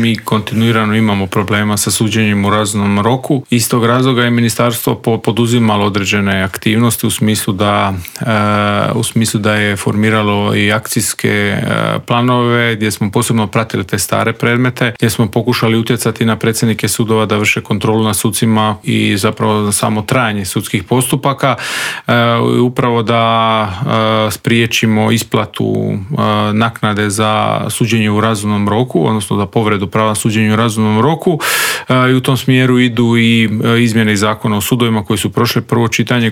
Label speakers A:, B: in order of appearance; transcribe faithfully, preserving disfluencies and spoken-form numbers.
A: mi kontinuirano imamo problema sa suđenjem u razumnom roku. Iz tog razloga je ministarstvo poduzimalo određene aktivnosti u smislu da, u smislu da je formiralo i akcijske planove gdje smo posebno pratili te stare predmete, gdje smo pokušali utjecati na predsjednike sudova da vrše kontrolu nad sucima i zapravo samo trajanje sudskih postupaka, upravo da spriječimo isplatu naknade za suđenje u razumnom roku, odnosno za povredu prava suđenja u razumnom roku, i u tom smjeru idu i izmjene zakona o sudovima koji su prošle prvo čitanje,